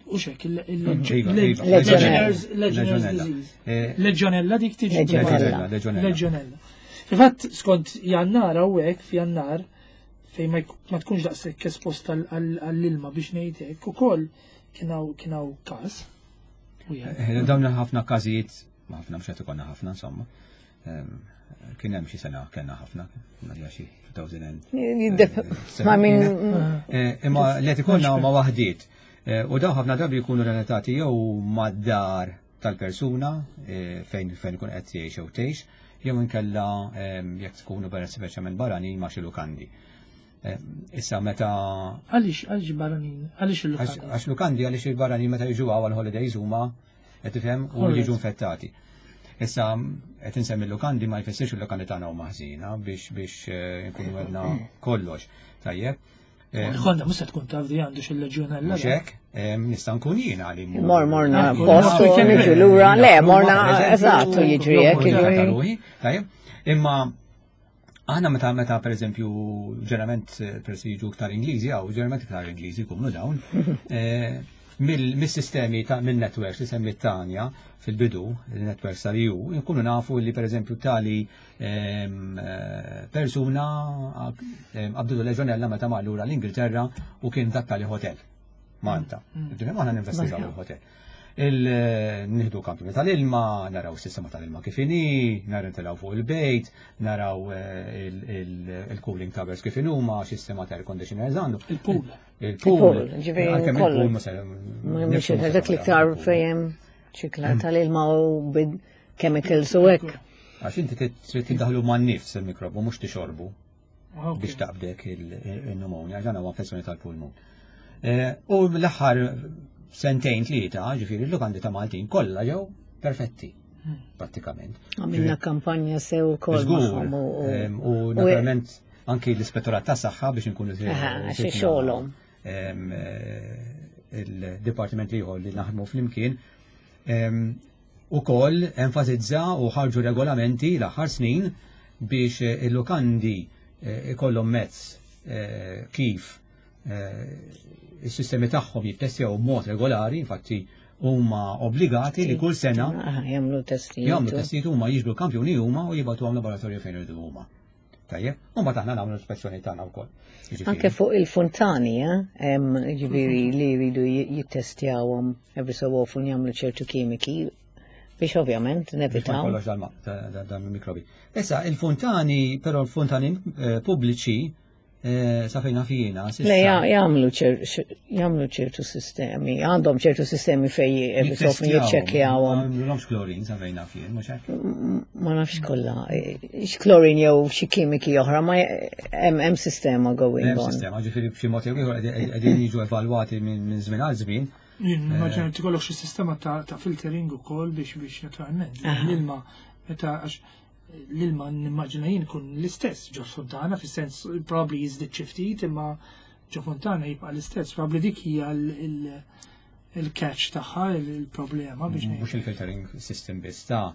U xek, Iva, iva. il-Legionnaires Legionnaires Legionella. disease. Eh, Legionella dik tiġi. Legionella. Legionella. Legionella. Fil-fatt, skont Jannar hawnhekk, f'Jannar, fejn ma jk- ma tkunx daqshekk espost għall- għall- għall-ilma biex ngħid hekk, ukoll kien hawn kien hawn każ. Wieħed. Eh, Dawn ħafna każijiet, ma ħafna, mhux qed ikollna ħafna insomma. Ehm, Kien hemm xi sena kellna ħafna, għalija xi elfejn u seba. Ma min Eh, Imma li qed ikollna huma waħdiet. Eh, U dawn ħafna drabi jkunu relatati jew mad-dar tal-persuna eh, fejn fejn ikun qed jgħix jew tgħix, jew inkella ehm, jekk tkunu barra, speċjalment barranin, ma' xi lukandi. Eh, Issa meta Għaliex għaliex barranin, għaliex Għax il-lukandi? għax lukandi, għaliex il-barranin meta jiġu għal holidays huma, qed tifhem, u Alright. jiġu infettati. Issa qed insemmi l-lukandi, ma jfissirx il-lukandi tagħna huma ħżiena biex biex eh, nkunu għedna kollox. Tajjeb. Eh, Konna mhux se tkun taf di għandu xil-leġjonella. Mhux hekk, eh, nista' nkun jiena li mmur- Mor morna Ekku, post u nafu. niġu lura, le, morna, Per eżempju, eżattu, jiġri hekk, jew jiġri. ruħi, tajjeb. Imma aħna meta meta per eżempju ġeneralment eh, peress li jiġu iktar Ingliżi, għaw ġeneralment iktar Ingliżi jkunu dawn, eh, Mill-sistemi ta' mill-networks li semmit Tanja fil-bidu, il-networks tal-E U, nkunu nafu li, per eżempju, tali ehm, eh, persuna ehm, qabditu leġjonella meta mar lura l-Ingilterra u kien dak tali hotel Malta. Ġifieri aħna ninvestigaw il-hotel. Il-nieħdu kampjuni tal-ilma, naraw s-sistema tal-ilma kif inhi, naraw nitilgħu fuq il-bejt, naraw eh, il- il- il-cooling towers kif inhuma, sistema ta' air conditioners għandu. Il-pool. Il-pool. Il-pool, ġifieri Għalkemm kollu. il-pool ma se- Mhux nifsu ma se dak l-iktar nagħmlu. fejn ċikla tal-ilma u bid chemicals u hekk. Għax inti trid tiddaħlu man-nifs il-mikrobu, mhux tixorbu Ok. biex taqbdek il-pneumonia, ġana huwa infezzjoni tal-pulmun. Eh, U l-aħħar sentejn tlieta, ġifieri l-lukandi ta' Maltin kollha ġew perfetti, prattikament. Għamilna kampanja sew ukoll Żgur, magħhom u- em, u naturalment anki l-ispettorat ta' saħħa biex nkunu Aha, xi xogħolhom. em, eh, il-dipartiment ieħor li naħdmu flimkien em, ukoll enfasizza u ħarġu regolamenti l-aħħar snin biex eh, il-lukandi eh, ikollhom mezz eh, kif eh, is-sistemi tagħhom jittestjaw b'mod regolari, infatti huma obbligati li kull sena Aha, jagħmlu testijiet. jagħmlu testijiet huma, jiġbru kampjuni huma u jibagħtuhom laboratorju fejn iridu huma. Tajjeb, u mbagħad aħna nagħmlu l-ispezzjoni tagħna wkoll. Jiġifieri. Anke fuq il-fontani, eh, hemm ġifieri li jridu jittestjawhom every so often, jagħmlu ċertu kimiki biex ovvjament Biex ma nevitaw. jkollokx dal- da- da- dan il-mikrobi. Issa, il-fontani, però l-fontani eh, pubbliċi, eh, sa fejn jiena, s'issa- Le, ja- jagħmlu ċer- jagħmlu ċertu sistemi, għandhom ċertu sistemi fej every so often jiċċekkjawhom. Ma jagħmlulhomx klorin sa fejn jien, mhux hekk? Ma nafx kollha, x'klorin jew xi kimiki oħra, ma hemm hemm sistema going Hemm on. sistema, ġifieri b'xi mod jew ieħor qegħdin qegħdin jiġu evalwati minn minn żmien għal żmien. Jien nimmaġina li tikollok xi sistema ta' ta' filtering ukoll biex biex naturalment l-ilma, meta, għax l-ilma nimmaġina jien kun l-istess ġo fontana, fis-sens probably jiżdied xi ftit, imma ġo fontana jibqa' l-istess, probably dik hija l- il- il-catch tagħha, il-problema biex ngħid. Mhux il-filtering system biss ta'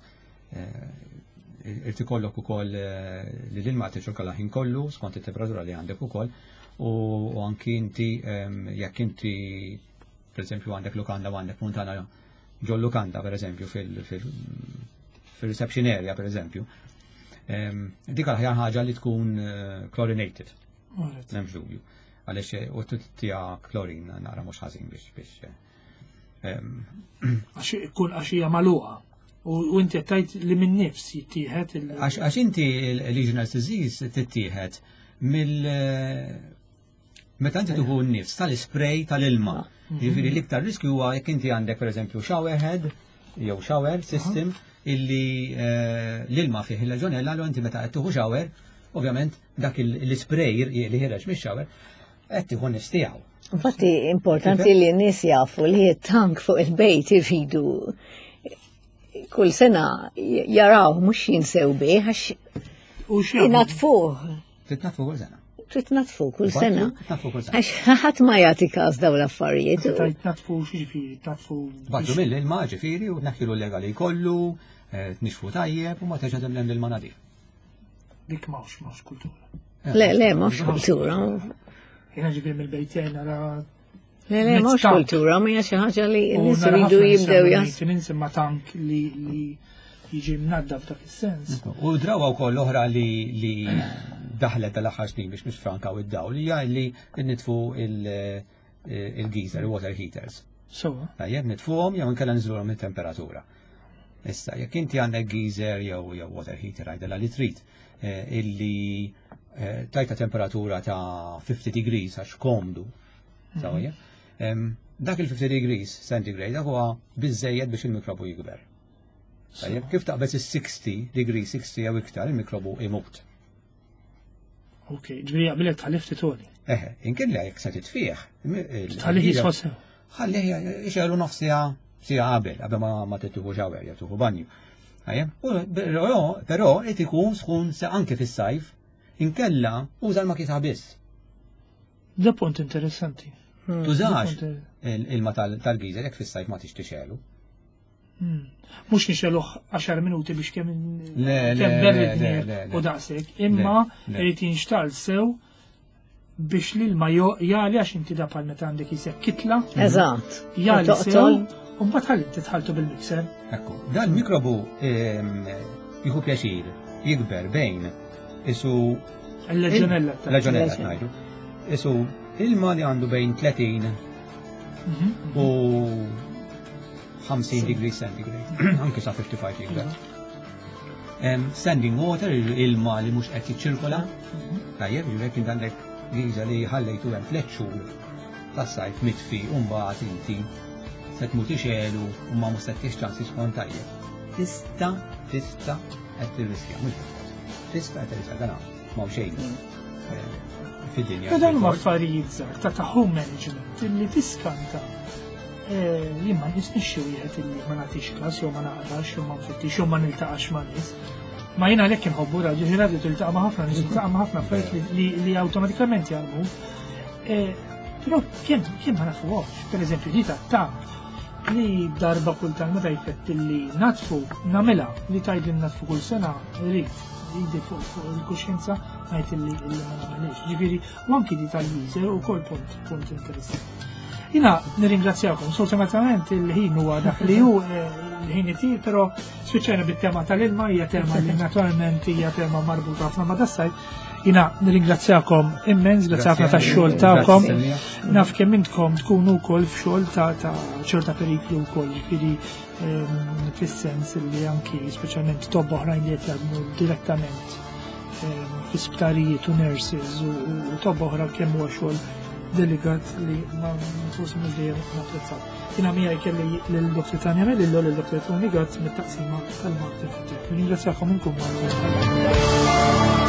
eh, irid ikollok ukoll eh, li l-ilma tiċċirkola ħin kollu skont it-temperatura li għandek ukoll u u anki inti em, jekk inti, per eżempju, għandek lukanda u għandek fontana ġol lukanda, per eżempju, fil- fil- fil-reception area, per eżempju, em, dik l-aħjar ħaġa li tkun eh, chlorinated. Alright. M'hemmx dubju. Għaliex eh, u tija klorin nara mhux ħażin biex biex eh, em, Għax ikun għax hija magħluqa. U u inti qed tgħid li minn nifs jittieħed il- Għax għax inti il-Legionnaires disease tittieħed mill meta inti tuħu n-nifs tal-spray tal-ilma. Ġifieri l-iktar riskju huwa jekk inti għandek, pereżempju, shower head jew shower system illi eh, l-ilma fih il-leġionella, l inti meta qed tieħu shower, ovvjament dak il- l-spray li ħireġ mix-shower qed tieħu nifs tiegħu. Infatti importanti li n-nies jafu li t-tank fuq il-bejt irridu kull sena jaraw, mhux jinsew bih, għax U x'jagħmlu? inatfuh. Titnafu kull sena. Trid natfu kull sena. Titnafu kull sena. Għax ħadd ma jagħti każ dawn l-affarijiet. Tajt natfu, x'jiġifieri, natfu? Batlu mill-ilma ġifieri u tneħħilu l-lega li kollu, eh, tnixfu tajjeb u ma terġa' temlem l-ilma nadif. Dik m'hawnx m'hawnx kultura. Le, le, mhux kultura. Jiena ġifieri mill-bejtejn nara Le, le, mhux Tank. kultura, ma hija xi ħaġa li u n-nies nara iridu ħafna jibdew nies jas. maintenance, imma tank li li jiġi mnaddaf dak is-sens. U drawa wkoll oħra li li daħlet tal-aħħar snin biex nifrankaw id-dawl hija li nitfu il- il-geyser, il-water heaters. Sewa. Tajjeb, nitfuhom jew inkella niżluhom it-temperatura. Issa, jekk inti għandek geyser jew jew water heater, għajdela li trid, eh, illi eh, tajta temperatura ta' fifty degrees għax komdu, sewwa, em, dak il-fifty degrees centigrade dak huwa biżejjed biex il-mikrobu jikber. Tajjeb, kif taqbeż is-sixty degrees, sixty jew iktar, il-mikrobu imut. Ok, ġifieri jaqbilek tħallih ftit għoli. Eħe, inkella jekk se titfih. Tħallih jisħon sew. Ħallih ixegħlu nofs siegħa, siegħa qabel, qabel ma ma tieħu shower jew tieħu banju. Tajjeb, u però però qed ikun sħun se anke fis-sajf, inkella uża l-makita biss. Da punt interessanti. Tużax Da punt- il-ilma tal-geyser jekk fis-sajf ma tixtixelu. Hmm. Mhux nixegħluh għaxar minuti biex kemm Le, le, kemm le, berridni le, le, le. u daqshekk, imma Le, le. irid jinxtagħal sew. Biex l-ilma jagħli, għax inti da bħal meta għandek isek kitla. Eżatt. Jagħli sew, u mbagħad ħalli titħaltu bil-mixer. Ekku, dan mikrobu jieħu pjaċir jikber bejn isu il-leġionella. Leġionella ngħidu. Isu ilma li għandu bejn tletin u ħamsin degrees centigrade, anke sa ħamsa u ħamsin jikber. Standing water, ilma li mhux qed jiċċirkola, tajjeb, ġifieri kien għandek geyser li ħallejtu hemm tliet xhur tas-sajf mitfi u mbagħad inti se tmur tixgħelu u ma mhux se tiex ċans jisħon tajjeb. Tista' tista' qed tirriskja, mhux bilfors. Tista' qed tirriskja, dan m'hawn xejn fid-dinja. Dan huma affarijiet żgħar ta' ta' home management illi tiskanta. Jien ma nisnix xi wieħed illi ma nagħtix każ jew ma naqrax jew ma nfittix jew ma niltaqax ma' nies. Ma jiena għalhekk inħobbu radio, radio tiltaqa' ma' ħafna nies, tiltaqa' ma' ħafna affarijiet li awtomatikament jarmu. Però kemm kemm ma nafuhomx, pereżempju di ta' tank li darba kultant meta jfett li natfu nagħmilha li tgħid li natfu kull sena rrid idi fuq il-kuxjenza ngħid li ma nagħmilx. Ġifieri u anki di tal-geyser ukoll punt punt interessanti. Jina nirringrazzjakom, sfortunatament il-ħin huwa dak li hu, il-ħin itir, però spiċċajna bit-tema tal-ilma, hija tema li naturalment hija tema marbuta ħafna ma' das-sajf. Jina nirringrazzjakom immens, grazzi ħafna tax-xogħol tagħkom. Naf kemm intkom tkunu wkoll f'xogħol ta' ċerta periklu wkoll, ġifieri fis-sens li anki speċjalment tobba oħrajn li qed jaħdmu direttament fi sptarijiet u nurses u tobba oħra kemm huwa xogħol delikat li ma forsi mhux dejjem napprezzaw. Jiena miegħi kelli lil Doctor Tanya Melillo, lil Doctor Tony Gazz mit-taqsima tal-Mard Infettiv. Nirringrazzjakom inkom magħna.